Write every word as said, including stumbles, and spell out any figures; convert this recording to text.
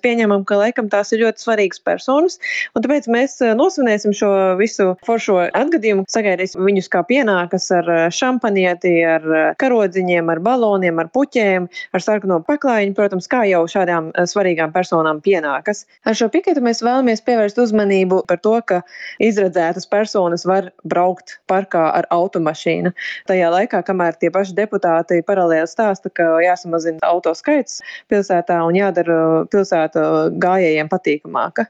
pieņemam, ka laikam tās ir ļoti svarīgas personas, un tāpēc mēs nosvinēsim šo visu foršo atgadījumu, sagaidīsim viņus kā pienākas ar šampanieti, ar karodziņiem, ar baloniem, ar puķēm, ar sarkano paklājiņu, protams, kā jau šādām svarīgām personām pienākas. Ar šo piketu mēs vēlamies pievērst uzmanību par to, ka izredzētas personas var braukt parkā ar automašīnu. Tajā laikā, kamēr tie paši deputāti paralēli stāsta, ka jāsamazina auto skaits pilsētā un jādara pilsēta gājējiem patīkamāka.